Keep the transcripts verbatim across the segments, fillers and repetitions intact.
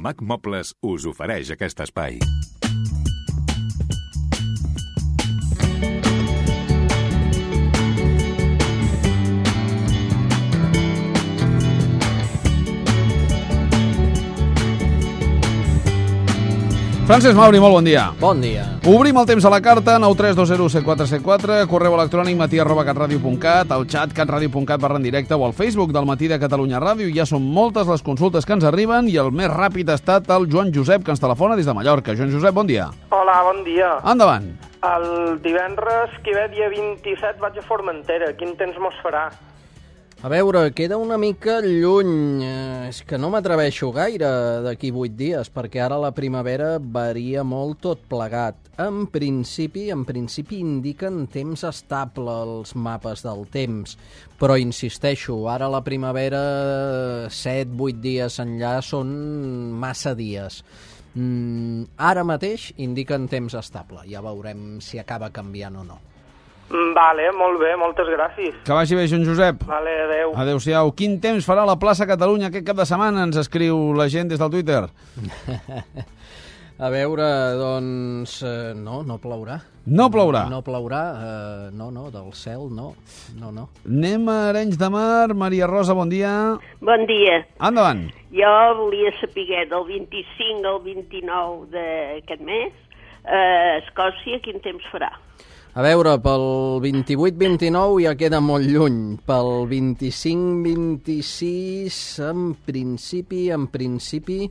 Mac Mobles us ofereix aquest espai. Francesc Mauri, molt bon dia. Bon dia. Obrim el temps a la carta, nou tres dos zero set quatre set quatre, correu electrònic matí arroba catradio punt cat, al xat catradio punt cat barra en directe o al Facebook del Matí de Catalunya Ràdio. Ja són moltes les consultes que ens arriben i el més ràpid ha estat el Joan Josep, que ens telefona des de Mallorca. Joan Josep, bon dia. Hola, bon dia. Endavant. El divendres que ve, dia vint-i-set, vaig a Formentera. Quin temps mos farà? A veure, queda una mica lluny. Eh, és que no m'atreveixo gaire d'aquí vuit dies, perquè ara la primavera varia molt tot plegat. En principi, en principi indiquen temps estable els mapes del temps, però insisteixo, ara la primavera, set vuit dies enllà, són massa dies. Mm, ara mateix indiquen temps estable. Ja veurem si acaba canviant o no. Vale, molt bé, moltes gràcies. Que vagi bé, Joan Josep. Vale, adeu. Adéu-siau. Quin temps farà la plaça Catalunya aquest cap de setmana? Ens escriu la gent des del Twitter. A veure, doncs... Eh, no, no plourà. No plourà? No plourà, eh, no, no, del cel, no, no, no. Anem a Arenys de Mar. Maria Rosa, bon dia. Bon dia. Endavant. Jo volia saber del vint-i-cinc al vint-i-nou d'aquest mes, a Escòcia, quin temps farà? A veure, pel vint-i-vuit vint-i-nou ja queda molt lluny. Pel vint-i-cinc vint-i-sis, en principi, en principi,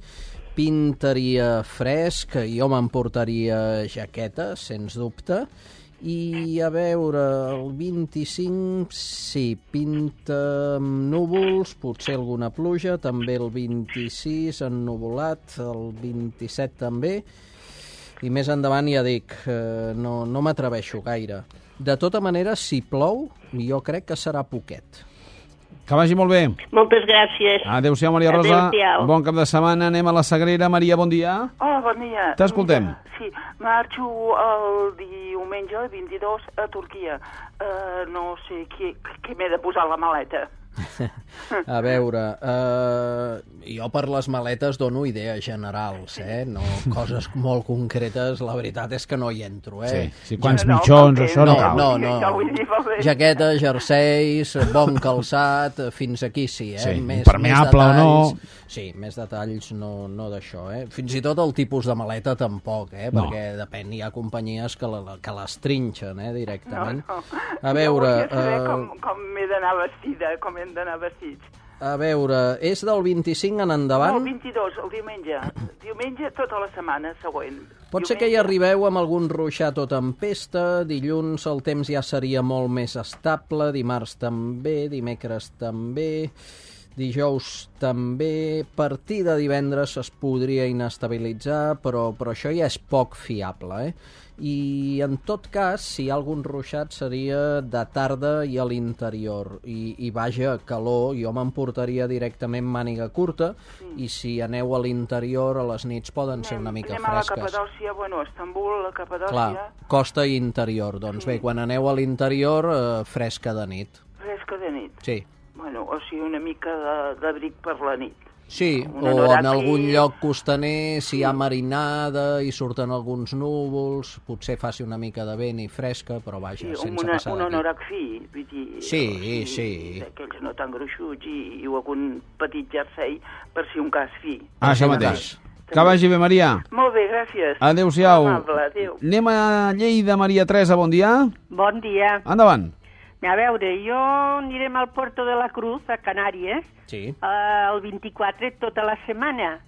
pintaria fresc, jo m'emportaria jaqueta, sens dubte, i a veure, el vint-i-cinc, sí, pinta amb núvols, potser alguna pluja, també el vint-i-sis ennuvolat, el vint-i-set també, i més endavant ja dic, eh, no, no m'atreveixo gaire. De tota manera, si plou, jo crec que serà poquet. Que vagi molt bé. Moltes gràcies. Adéu-siau, Maria Rosa. Adéu-siau. Bon cap de setmana. Anem a la Sagrera. Maria, bon dia. Hola, bon dia. T'escoltem. Mira, sí, marxo el diumenge vint-i-dos a Turquia. Uh, no sé què, què m'he de posar a la maleta. A veure, eh, jo per les maletes dono idees generals, eh? No coses molt concretes, la veritat és que no hi entro, eh? Sí, sí, quants No, mitjons, no, això no, no, cal. no, Ja no. vull dir, va bé. Jaqueta, jerseis, bon calçat, fins aquí sí, eh? Sí, més, impermeable més o no. detalls, sí, més detalls no, no d'això, eh? Fins i tot el tipus de maleta tampoc, eh? No. Perquè depèn, hi ha companyies que, la, que les trinxen, eh? Directament. No, no. A veure... Jo volia saber eh, com, com m'he d'anar vestida, com hem d'anar vestits. A veure, és del vint-i-cinc en No, endavant? el vint-i-dos, el diumenge. Diumenge tota la setmana següent. Pot ser que hi arribeu amb algun ruixat o tempesta, dilluns el temps ja seria molt més estable, dimarts també, dimecres també, dijous també, partir de divendres es podria inestabilitzar, però, però això ja és poc fiable, eh? I en tot cas, si hi ha algun ruixat seria de tarda i a l'interior, i, i vaja, calor, jo m'emportaria directament màniga curta, sí. I si aneu a l'interior a les nits poden ser una mica anem a la fresques. Capadòcia, bueno, a Estambul, la Capadòcia... Clar, costa i interior, doncs Sí. bé, quan aneu a l'interior, eh, fresca de nit. Fresca de nit. Sí. Bueno, o sigui, una mica de- d'abric per la nit. Sí, Un o anorac en algun i- lloc costaner, si hi ha marinada i surten alguns núvols, potser faci una mica de vent i fresca, però vaja, Sí, sense una, passar un d'aquí. anorac fi, vull dir... Sí, o sigui, sí. D'aquells no tan gruixuts i, i algun petit jersei per si un cas fi. Ah, això Sí, mateix. Que vagi bé, Maria. Molt bé, gràcies. Adéu-siau. Amable, adéu. Anem a Lleida. Maria Teresa, bon dia. Bon dia. Endavant. A veure, jo anirem al Puerto de la Cruz, a Canàries, Sí. eh, el vint-i-quatre tota la setmana.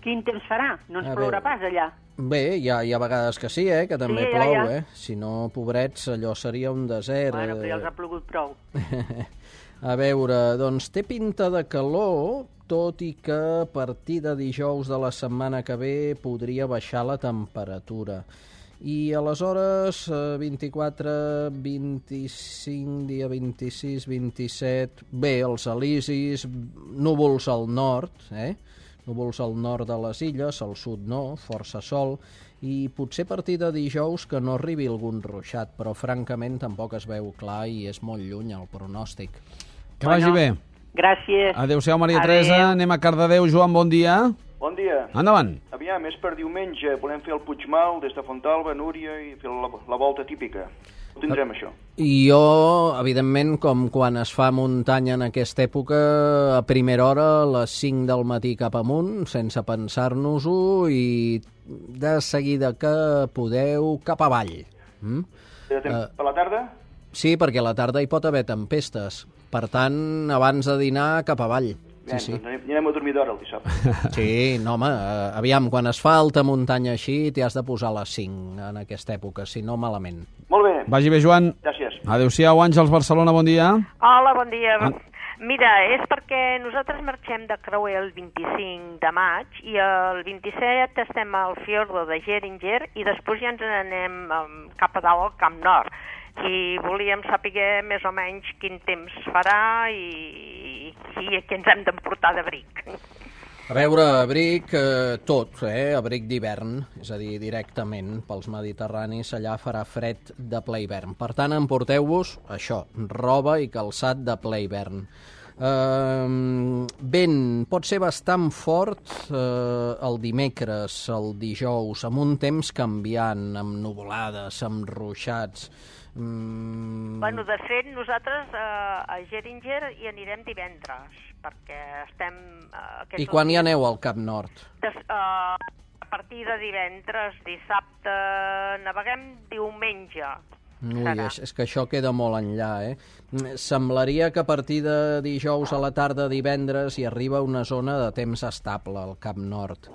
Quin temps farà? No ens A plourà veure. pas allà. Bé, hi ha, hi ha vegades que sí, eh, que també Sí, ja, plou, ja. eh? Si no, pobrets, allò seria un desert. Bueno, però ja eh. els ha plogut prou. A veure, doncs té pinta de calor, tot i que a partir de dijous de la setmana que ve podria baixar la temperatura. I aleshores, eh, vint-i-quatre, vint-i-cinc, dia vint-i-sis, vint-i-set... Bé, els elisis, núvols al nord, eh? Núvols al nord de les illes, al sud no, força sol, i potser a partir de dijous que no arribi algun ruixat, però francament tampoc es veu clar i és molt lluny el pronòstic. Que vagi bé. Gràcies. Adéu-siau, Maria Adéu. Teresa. Anem a Cardedeu. Joan, bon dia. Bon dia. Endavant. Aviam, és per diumenge. Volem fer el Puigmal des de Fontalba, Núria i fer la, la volta típica. Ho tindrem, això. I jo, evidentment, com quan es fa muntanya en aquesta època, a primera hora, a les cinc del matí cap amunt, sense pensar-nos-ho, i de seguida que podeu, cap avall. Mm? Uh, per la tarda? Sí, perquè a la tarda hi pot haver tempestes. Per tant, abans de dinar, cap avall. Bé, Sí, sí. doncs anirem a dormir d'hora el dissabte. Sí, no, home, eh, aviam, quan es fa alta muntanya així, t'hi has de posar a les cinc en aquesta època, si no, malament. Molt bé. Vagi bé, Joan. Gràcies. Adéu-siau, Àngels, Barcelona, bon dia. Hola, bon dia. Ah. Mira, és perquè nosaltres marxem de creuer el vint-i-cinc de maig i el vint-i-set estem al fiordo de Geringer i després ja ens anem um, cap a dalt al Camp Nord. I volíem saber més o menys quin temps farà i, i què ens hem d'emportar d'abric. A veure, abric eh, tot, eh? Abric d'hivern, és a dir, directament pels mediterranis, allà farà fred de ple hivern. Per tant, emporteu-vos això, roba i calçat de ple hivern. Uh, vent pot ser bastant fort uh, el dimecres, el dijous, amb un temps canviant, amb nuvolades, amb ruixats. Mm. Bueno, de fet, nosaltres eh, a Geringer hi anirem divendres, perquè estem... Eh, I quan hi aneu al Cap Nord? Des, eh, a partir de divendres, dissabte, naveguem diumenge. Ui, és, és que això queda molt enllà, eh? Semblaria que a partir de dijous a la tarda, divendres, hi arriba una zona de temps estable al Cap Nord.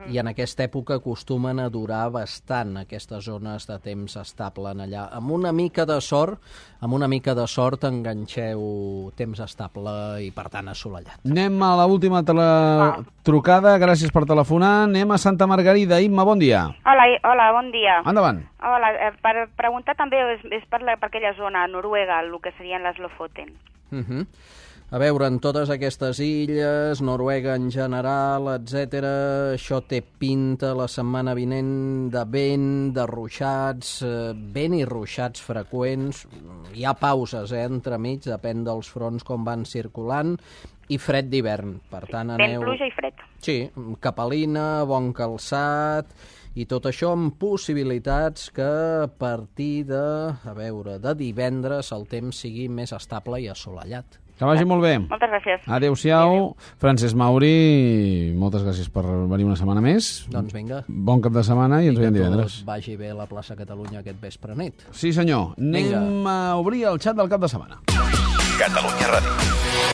I en aquesta època acostumen a durar bastant aquestes zones de temps estable en allà. Amb una mica de sort, amb una mica de sort enganxeu temps estable i, per tant, assolellat. Anem a l'última tele... trucada. Gràcies per telefonar. Anem a Santa Margarida. Imma, bon dia. Hola, hola, bon dia. Endavant. Hola, eh, per preguntar també, és, és per, la, per aquella zona, Noruega, el que serien les Lofoten. Uh -huh. A veure, en totes aquestes illes, Noruega en general, etcètera, això té pinta la setmana vinent de vent, de ruixats, eh, vent i ruixats freqüents. Hi ha pauses, eh, entremig, depèn dels fronts com van circulant, i fred d'hivern. Per tant, aneu... Vent, pluja i fred. Sí, capelina, bon calçat, i tot això amb possibilitats que a partir de, a veure, de divendres el temps sigui més estable i assolellat. Que vagi molt bé. Moltes gràcies. Adéu-siau. Francesc Mauri, moltes gràcies per venir una setmana més. Doncs vinga. Bon cap de setmana i ens veiem divendres. Que vagi bé a la plaça Catalunya aquest vespre nit. Sí, senyor. Anem Vinga. a obrir el xat del cap de setmana. Catalunya Ràdio.